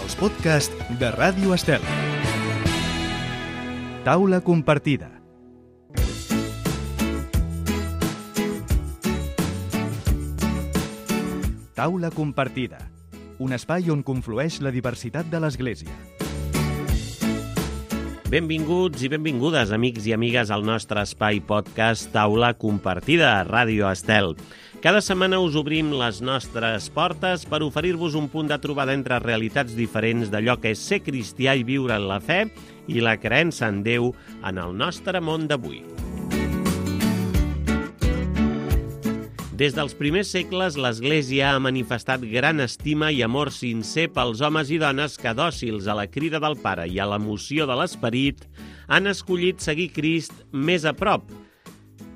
els podcasts de Ràdio Estel. Taula compartida. Taula compartida, un espai on conflueix la diversitat de l'Església. Benvinguts i benvingudes, amics i amigues, al nostre espai podcast Taula compartida a Ràdio Estel. Cada setmana us obrim les nostres portes per oferir-vos un punt de trobada entre realitats diferents d'allò que és ser cristià i viure en la fe i la creença en Déu en el nostre món d'avui. Des dels primers segles, l'Església ha manifestat gran estima i amor sincer pels homes i dones que, dòcils a la crida del Pare i a l'emoció de l'Esperit, han escollit seguir Crist més a prop,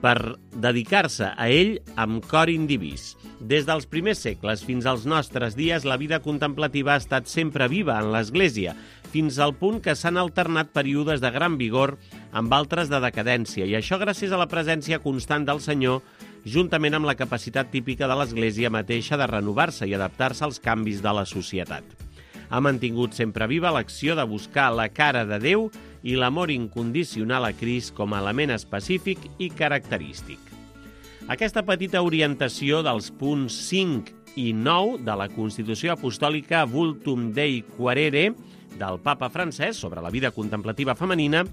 per dedicar-se a ell amb cor indivís. Des dels primers segles fins als nostres dies, la vida contemplativa ha estat sempre viva en l'Església, fins al punt que s'han alternat períodes de gran vigor amb altres de decadència, i això gràcies a la presència constant del Senyor, juntament amb la capacitat típica de l'Església mateixa de renovar-se i adaptar-se als canvis de la societat. Ha mantingut sempre viva l'acció de buscar la cara de Déu i l'amor incondicional a Crist com a element específic i característic. Aquesta petita orientació dels punts 5 i 9 de la Constitució Apostòlica Vultum Dei Quaerere del Papa Francesc sobre la vida contemplativa femenina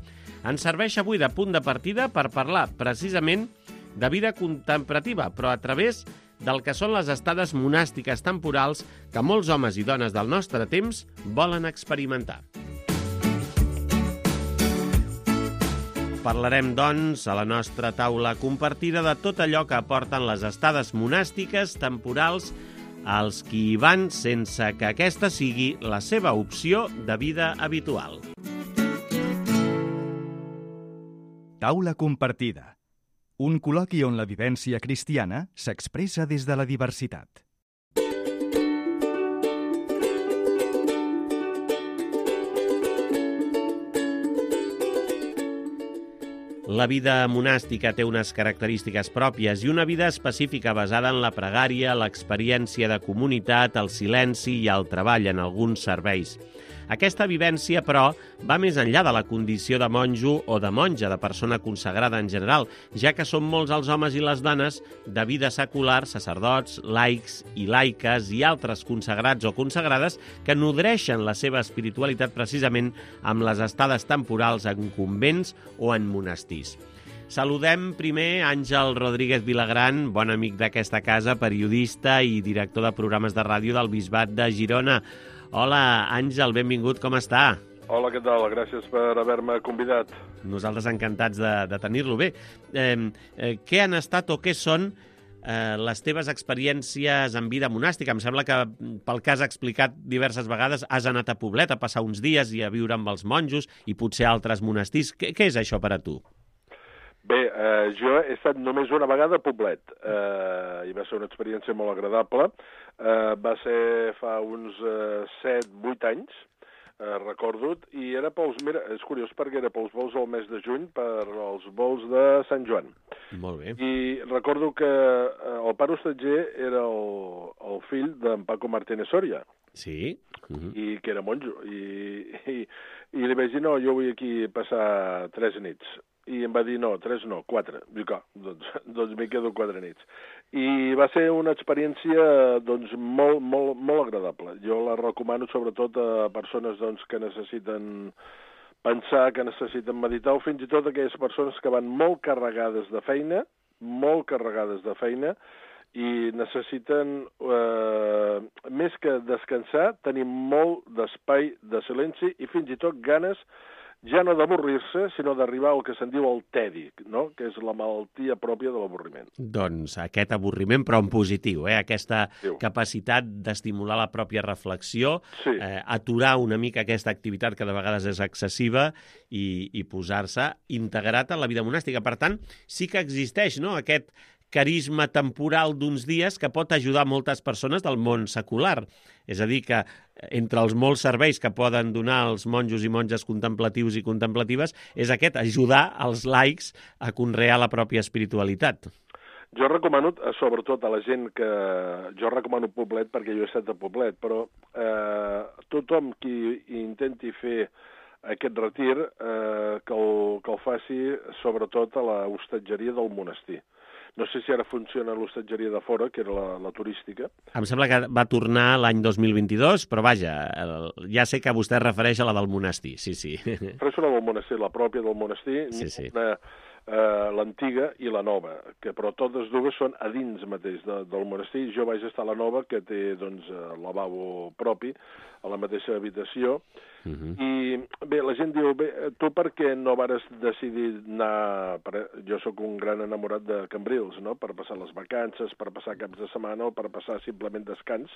ens serveix avui de punt de partida per parlar precisament de vida contemplativa, però a través del que són les estades monàstiques temporals que molts homes i dones del nostre temps volen experimentar. Parlarem, doncs, a la nostra taula compartida de tot allò que aporten les estades monàstiques temporals als qui hi van sense que aquesta sigui la seva opció de vida habitual. Taula compartida. Un col·loqui on la vivència cristiana s'expressa des de la diversitat. La vida monàstica té unes característiques pròpies i una vida específica basada en la pregària, l'experiència de comunitat, el silenci i el treball en alguns serveis. Aquesta vivència, però, va més enllà de la condició de monjo o de monja, de persona consagrada en general, ja que són molts els homes i les dones de vida secular, sacerdots, laics i laiques i altres consagrats o consagrades que nodreixen la seva espiritualitat precisament amb les estades temporals en convents o en monestirs. Saludem primer Àngel Rodríguez Vilagran, bon amic d'aquesta casa, periodista i director de programes de ràdio del Bisbat de Girona. Hola, Àngel, benvingut, com està? Hola, què tal? Gràcies per haver-me convidat. Nosaltres encantats de tenir-lo. Bé, què han estat o què són les teves experiències en vida monàstica? Em sembla que, pel que has explicat diverses vegades, has anat a Poblet a passar uns dies i a viure amb els monjos i potser a altres monestirs. Què és això per a tu? Bé, jo he estat només una vegada a Poblet i va ser una experiència molt agradable. Va ser fa uns 7-8 anys, recordo, i era pels... Mira, és curiós perquè era pels vols del mes de juny, per als vols de Sant Joan. Molt bé. I recordo que el pare hostatger era el fill d'en Paco Martínez Soria. Sí. I que era monjo. I li vaig dir, no, jo vull aquí passar 3 nits. I em va dir, no, 3 no, 4. Dic, doncs m'hi quedo 4 nits. I va ser una experiència doncs, molt agradable. Jo la recomano sobretot a persones doncs, que necessiten pensar, que necessiten meditar, o fins i tot aquelles persones que van molt carregades de feina, i necessiten, més que descansar, tenir molt d'espai de silenci i fins i tot ganes ja no d'avorrir-se, sinó d'arribar al que se'n diu el tedi, no? Que és la malaltia pròpia de l'avorriment. Doncs aquest avorriment, però en positiu, aquesta capacitat d'estimular la pròpia reflexió, sí. Aturar una mica aquesta activitat que de vegades és excessiva i posar-se integrat en la vida monàstica. Per tant, sí que existeix, no?, aquest carisma temporal d'uns dies que pot ajudar moltes persones del món secular. És a dir, que entre els molts serveis que poden donar els monjos i monges contemplatius i contemplatives és aquest, ajudar els laics a conrear la pròpia espiritualitat. Jo recomano, sobretot a la gent que... Jo recomano Poblet perquè jo he estat a Poblet, però tothom qui intenti fer aquest retir que el faci sobretot a l'hostatgeria del monestir. No sé si ara funciona l'hostatgeria de fora, que era la turística. Em sembla que va tornar l'any 2022, però vaja, ja sé que vostè es refereix a la del monestir, sí. Però és una del monestir, la pròpia del monestir, Sí. l'antiga i la nova, que però totes dues són a dins mateix del monestir. Jo vaig estar a la nova, que té doncs, lavabo propi, a la mateixa habitació, i bé, la gent diu, tu per què no vares decidir anar... Jo sóc un gran enamorat de Cambrils, no?, per passar les vacances, per passar caps de setmana o per passar simplement descans.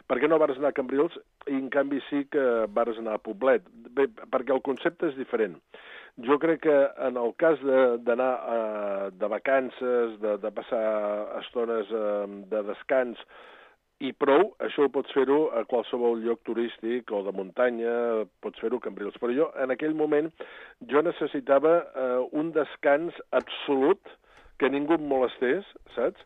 Per què no vares anar a Cambrils i en canvi sí que vares anar a Poblet? Bé, perquè el concepte és diferent. Jo crec que en el cas d'anar de vacances, de passar estones de descans, i prou, això ho pots fer-ho a qualsevol lloc turístic o de muntanya, pots fer-ho a Cambrils. Però jo, en aquell moment, jo necessitava un descans absolut, que ningú em molestés, saps?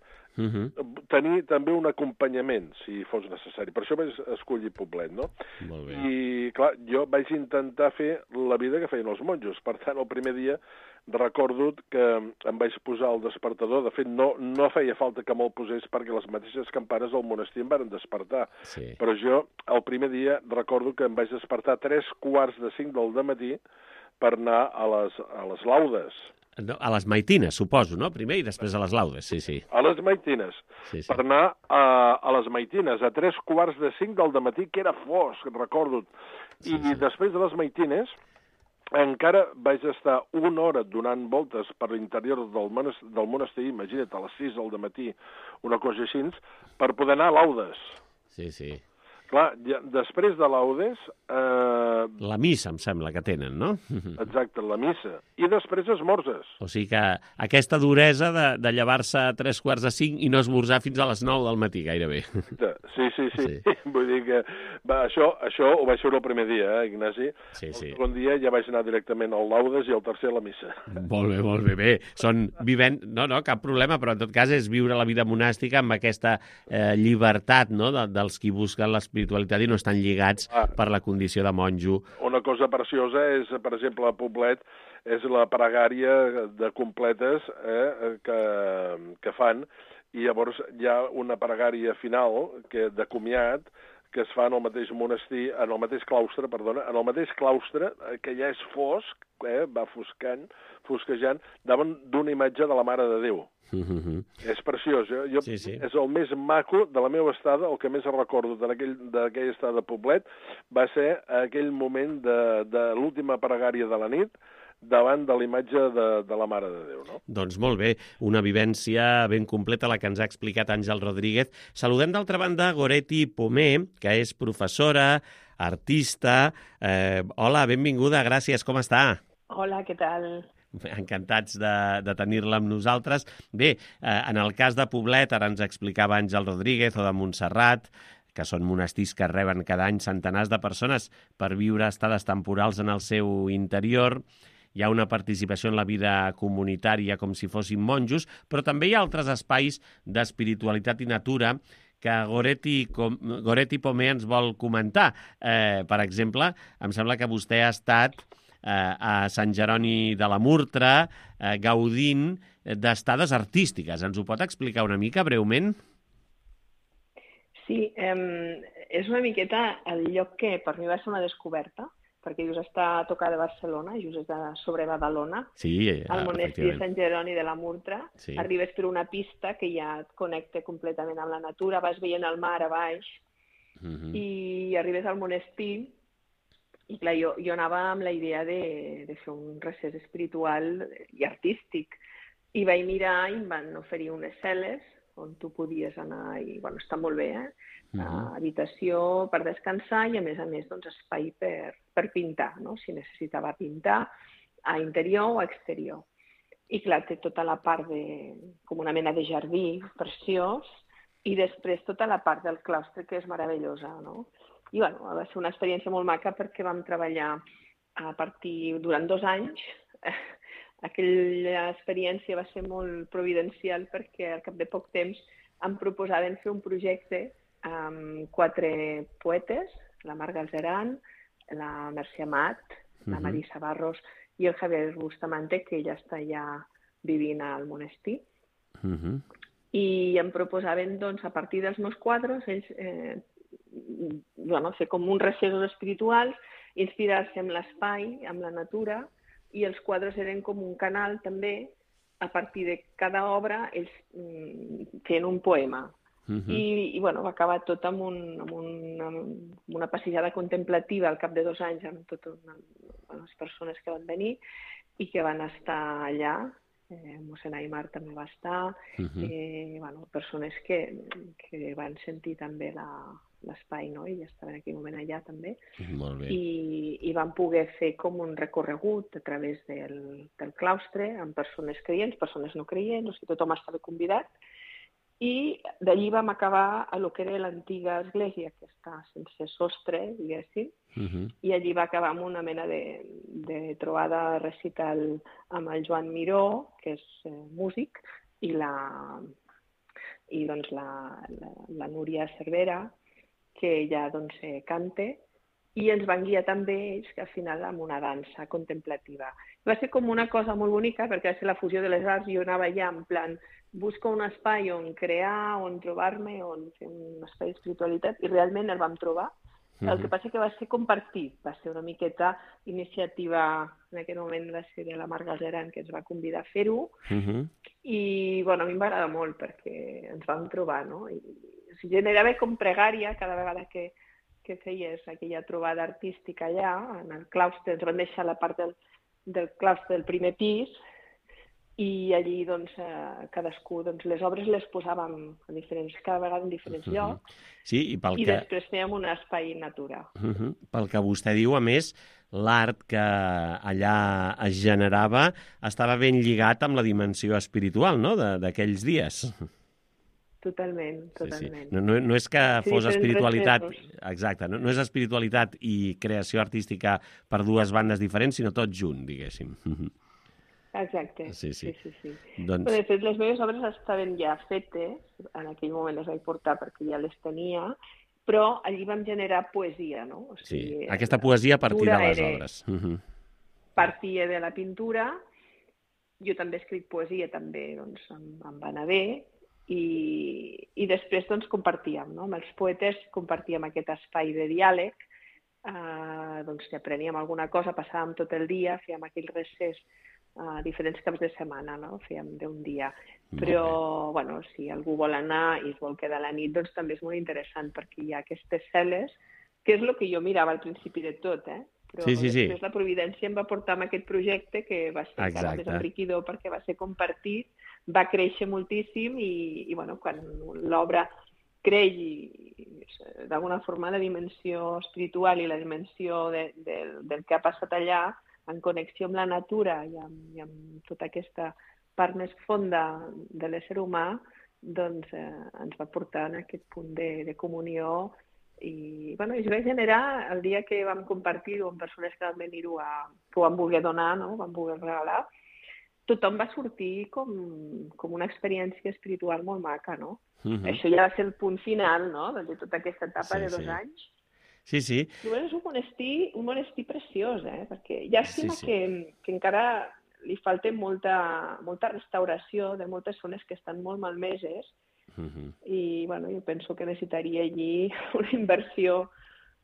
Tenir també un acompanyament, si fos necessari. Per això vaig escollir Poblet, no? Molt bé. I, clar, jo vaig intentar fer la vida que feien els monjos. Per tant, el primer dia recordo que em vaig posar el despertador. De fet, no feia falta que me'l posés perquè les mateixes campanes del monestir em varen despertar. Sí. Però jo, el primer dia, recordo que em vaig despertar a 3:45 del dematí per anar a les laudes. No, a les maitines, suposo, no? Primer i després a les laudes, sí. A les maitines. Sí. Per anar a les maitines a 3:45 del dematí, que era fosc, recordo. I després de les maitines encara vaig estar una hora donant voltes per l'interior del monestir, imagina't, a les 6 del dematí, una cosa així, per poder anar a laudes. Sí. Clar, després de laudes... La missa, em sembla, que tenen, no? Exacte, la missa. I després esmorzes. O sigui que aquesta duresa de llevar-se a 3:45 i no esmorzar fins a les 9 del matí, gairebé. Sí. Vull dir que això ho vaig fer el primer dia, Ignasi? Sí. El segon dia ja vaig anar directament al laudes i el tercer a la missa. Molt bé. Són vivent... No, cap problema, però en tot cas és viure la vida monàstica amb aquesta llibertat, no?, dels qui busquen l'espiritualitat i no estan lligats per la condició de monjo. Una cosa preciosa és, per exemple, a Poblet, és la pregària de completes que fan, i llavors hi ha una pregària final de comiat que es fa en el mateix monestir, en el mateix claustre, que ja és fosc, va fosquejant, davant d'una imatge de la Mare de Déu. És preciós. Sí. És el més maco de la meva estada, el que més recordo d'aquella estada a Poblet, va ser aquell moment de l'última pregària de la nit, davant de la imatge de la Mare de Déu, no? Doncs molt bé, una vivència ben completa la que ens ha explicat Àngel Rodríguez. Saludem d'altra banda Goretti Pomé, que és professora, artista. Hola, benvinguda, gràcies, com està? Hola, què tal? Encantats de tenir-la amb nosaltres. Bé, en el cas de Poblet, ara ens explicava Àngel Rodríguez, o de Montserrat, que són monestirs que reben cada any centenars de persones per viure estades temporals en el seu interior. Hi ha una participació en la vida comunitària com si fossin monjos, però també hi ha altres espais d'espiritualitat i natura que Goretti Pomé ens vol comentar. Per exemple, em sembla que vostè ha estat a Sant Jeroni de la Murtra gaudint d'estades artístiques. Ens ho pot explicar una mica, breument? Sí, és una miqueta el lloc que per mi va ser una descoberta, perquè just està a tocar de Barcelona, just és sobre Badalona, al monestir de Sant Jeroni de la Murtra. Sí. Arribes per una pista que ja et connecta completament amb la natura, vas veient el mar a baix, i arribes al monestir, i clar, jo anava amb la idea de fer un recés espiritual i artístic, i vaig mirar i em van oferir unes cel·les on tu podies anar, i bueno, està molt bé, habitació per descansar i a més doncs, espai per pintar, no? Si necessitava pintar a interior o a exterior. I clar, té tota la part com una mena de jardí preciós i després tota la part del claustre que és meravellosa, no? I bueno, va ser una experiència molt maca perquè vam treballar durant 2 anys. Aquella experiència va ser molt providencial perquè al cap de poc temps em proposaven fer un projecte amb 4 poetes la Mar Galzeran, la Mercè Amat, la Marisa Barros i el Javier Bustamante, que ja està ja vivint al monestir. I em proposaven, doncs, a partir dels meus quadres, ells fer com uns recessos espirituals, inspirar-se en l'espai, amb la natura, i els quadres eren com un canal també, a partir de cada obra ells feien un poema. I va acabar tot amb una passejada contemplativa al cap de 2 anys amb totes les persones que van venir i que van estar allà. Mossèn Aimar també va estar, persones que van sentir també l'espai, no? I estaven en aquell moment allà també. Molt bé. I van poder fer com un recorregut a través del claustre amb persones creients, persones no creients, o sigui, tothom estava convidat. I d'allí vam acabar a lo que era l'antiga església, que està sense sostre, diguéssim, i allí va acabar amb una mena de trobada recital amb el Joan Miró, que és músic, i la Núria Cervera, que ja canta, i ens van guiar també ells, que al final amb una dansa contemplativa. Va ser com una cosa molt bonica, perquè va ser la fusió de les arts, jo anava allà en plan, busco un espai on crear, on trobar-me, on fer un espai d'espiritualitat, i realment el vam trobar. El que passa que va ser compartit, va ser una miqueta iniciativa, en aquell moment va ser de la Mar Galzeran, que ens va convidar a fer-ho, i a mi em va agradar molt, perquè ens vam trobar, no? I generava com pregària cada vegada que feies aquella trobada artística allà, en el claustre, ens van deixar la part del claustre del primer pis, i allí cadascú les obres les posàvem cada vegada en diferents llocs, i després fèiem un espai natura. Pel que vostè diu, a més, l'art que allà es generava estava ben lligat amb la dimensió espiritual, no?, d'aquells dies. Totalment. No és que fos espiritualitat... Exacte, no és espiritualitat i creació artística per 2 bandes diferents, sinó tot junt, diguéssim. Exacte, sí. Doncs... De fet, les meves obres estaven ja fetes, en aquell moment les vaig portar perquè ja les tenia, però allí vam generar poesia, no? O sigui, aquesta poesia a partir de les obres. Partia de la pintura, jo també escric poesia, també em va anar bé, i després compartíem, no? Amb els poetes compartíem aquest espai de diàleg, si apreníem alguna cosa, passàvem tot el dia, fèiem aquell recés diferents caps de setmana, no? Fèiem d'un dia. Però, si algú vol anar i es vol quedar a la nit, doncs també és molt interessant, perquè hi ha aquestes cel·les, que és el que jo mirava al principi de tot, però després la providència em va portar amb aquest projecte, que va ser encara més enriquidor, perquè va ser compartit, va créixer moltíssim, i quan l'obra creix, d'alguna forma, la dimensió espiritual i la dimensió del que ha passat allà, en connexió amb la natura i amb tota aquesta part més fonda de l'ésser humà, doncs ens va portar en aquest punt de comunió. I es va generar el dia que vam compartir-ho amb persones que van venir-ho, que ho van voler donar, no? Van voler regalar. Tothom va sortir com una experiència espiritual molt maca, no? Això ja va ser el punt final, no?, de tota aquesta etapa de 2 anys. Sí. I és un monestir preciós, perquè llàstima que encara li falta molta restauració de moltes zones que estan molt malmeses, i jo penso que necessitaria allí una inversió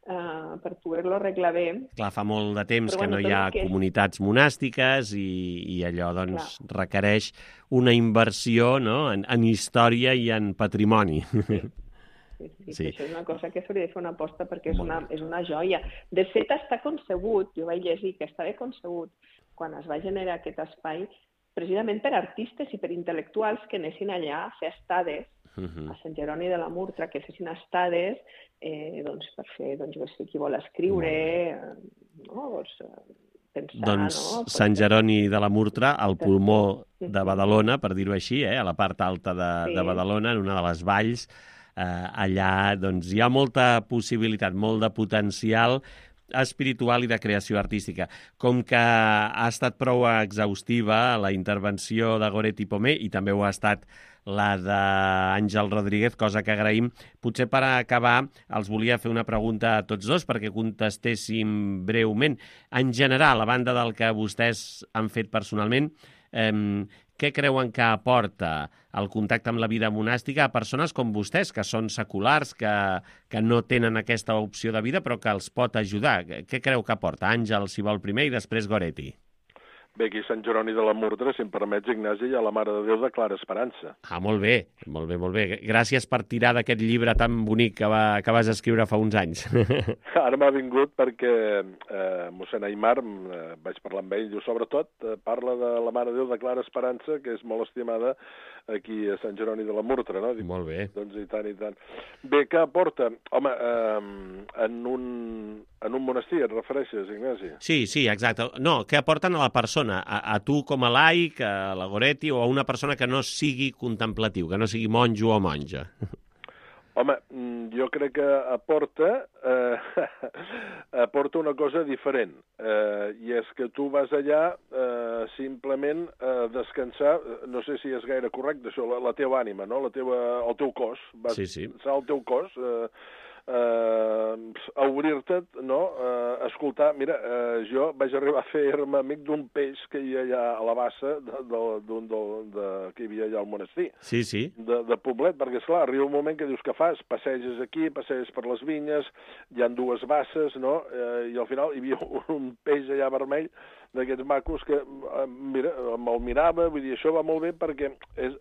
per poder-lo arreglar bé. Clar, fa molt de temps que no hi ha comunitats monàstiques i allò requereix una inversió, no?, en història i en patrimoni. Sí. Això és una cosa que s'hauria de fer una aposta, perquè és una joia. De fet, està concebut, jo vaig llegir que estava concebut quan es va generar aquest espai, precisament per artistes i per intel·lectuals que anessin allà a fer estades a Sant Jeroni de la Murtra, que fessin estades per fer, qui vol escriure, pensar... Sant Jeroni de la Murtra, al pulmó de Badalona, per dir-ho així, a la part alta de Badalona, en una de les valls, allà hi ha molta possibilitat, molt de potencial espiritual i de creació artística. Com que ha estat prou exhaustiva la intervenció de Goretti Pomé, i també ho ha estat la d'Àngel Rodríguez, cosa que agraïm. Potser per acabar els volia fer una pregunta a tots dos perquè contestéssim breument. En general, a banda del que vostès han fet personalment, què creuen que aporta el contacte amb la vida monàstica a persones com vostès, que són seculars, que no tenen aquesta opció de vida, però que els pot ajudar? Què creu que aporta? Àngel, si vol primer, i després Goretti. Bé, aquí a Sant Jeroni de la Murtra, si em permets, Ignasi, hi ha la Mare de Déu de Clara Esperança. Ah, molt bé, molt bé, molt bé. Gràcies per tirar d'aquest llibre tan bonic que vas escriure fa uns anys. Ara m'ha vingut perquè mossèn Aimar, vaig parlar amb ell, diu, sobretot parla de la Mare de Déu de Clara Esperança, que és molt estimada aquí a Sant Jeroni de la Murtra, no? Dic, molt bé. Doncs i tant, i tant. Bé, què aporta? Home, en un monestir, et refereixes, Ignasi? Sí, exacte. No, què aporten a la persona? A tu com a laic, a la Goretti, o a una persona que no sigui contemplatiu, que no sigui monjo o monja? Home, jo crec que aporta una cosa diferent, i és que tu vas allà simplement a descansar, no sé si és gaire correcte això, la teva ànima, no? El teu cos, vas descansar el teu cos, a obrir-te, no? A escoltar. Mira, jo vaig arribar a fer-me amic d'un peix que hi ha allà a la bassa que hi havia allà al monestir. Sí. De Poblet, perquè, esclar, arriba un moment que dius que fas, passeges aquí, passeges per les vinyes, hi ha dues basses, no? I al final hi havia un peix allà vermell d'aquests macos que, mira, me'l mirava, vull dir, això va molt bé perquè,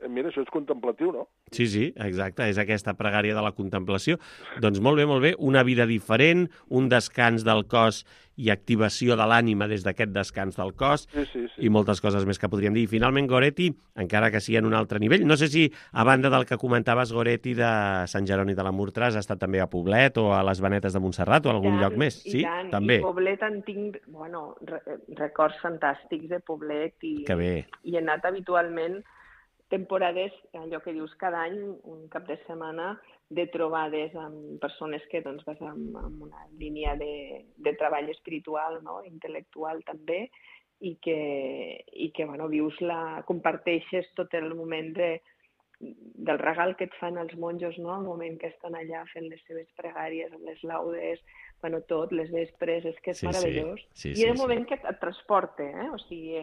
mira, això és contemplatiu, no? Sí, exacte, és aquesta pregària de la contemplació. Doncs molt bé, una vida diferent, un descans del cos i activació de l'ànima des d'aquest descans del cos, sí. I moltes coses més que podríem dir. I finalment, Goretti, encara que sigui en un altre nivell, no sé si, a banda del que comentaves, Goretti, de Sant Jeroni de la Murtra, has estat també a Poblet o a les Venetes de Montserrat o a algun lloc més? Sí, també. I Poblet en tinc, records fantàstics de Poblet i he anat habitualment temporades, allò que dius cada any, un cap de setmana, de trobades amb persones que doncs, vas amb una línia de treball espiritual, no? Intel·lectual també, i que comparteixes tot el moment del regal que et fan els monjos, no? El moment que estan allà fent les seves pregàries, amb les laudes, tot, les vespres, és que és meravellós. I és un moment que et transporta, O sigui,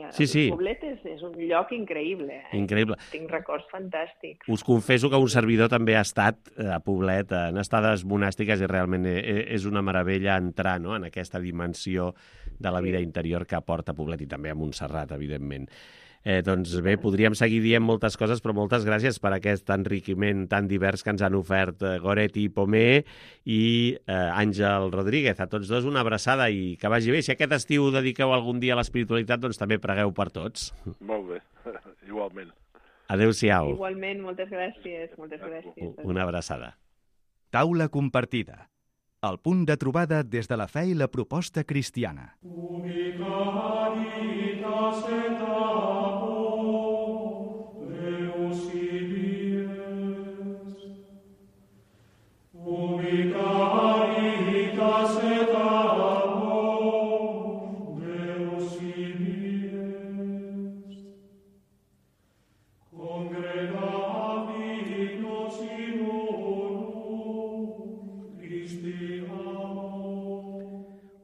Poblet és un lloc increïble. Increïble. Tinc records fantàstics. Us confesso que un servidor també ha estat a Poblet en estades monàstiques i realment és una meravella entrar, no?, en aquesta dimensió de la vida interior que aporta Poblet i també a Montserrat, evidentment. Doncs bé, podríem seguir dient moltes coses, però moltes gràcies per aquest enriquiment tan divers que ens han ofert Goretti i Pomé i Àngel Rodríguez. A tots dos una abraçada i que vagi bé. Si aquest estiu dediqueu algun dia a l'espiritualitat, doncs també pregueu per tots. Molt bé, igualment. Adéu-siau. Igualment, moltes gràcies. Una abraçada. Taula compartida. El punt de trobada des de la fe i la proposta cristiana.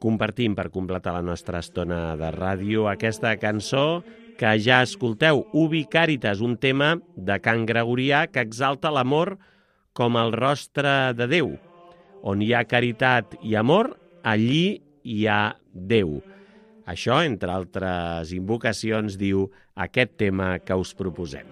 Compartim per completar la nostra estona de ràdio aquesta cançó que ja escolteu, Ubi Caritas, un tema de cant gregorià que exalta l'amor com el rostre de Déu. On hi ha caritat i amor, allí hi ha Déu. Això, entre altres invocacions, diu aquest tema que us proposem.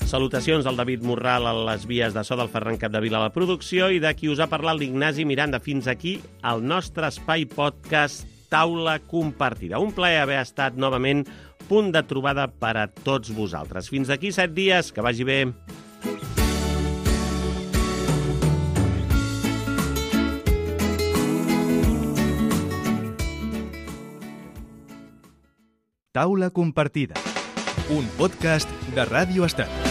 Salutacions del David Morral a les vies de so, del Ferran Capdevila a la producció i de qui us ha parlat l'Ignasi Miranda. Fins aquí el nostre espai podcast Taula Compartida. Un plaer haver estat novament punt de trobada per a tots vosaltres. Fins d'aquí 7 dies, que vagi bé. Taula Compartida, un podcast de Ràdio Estat.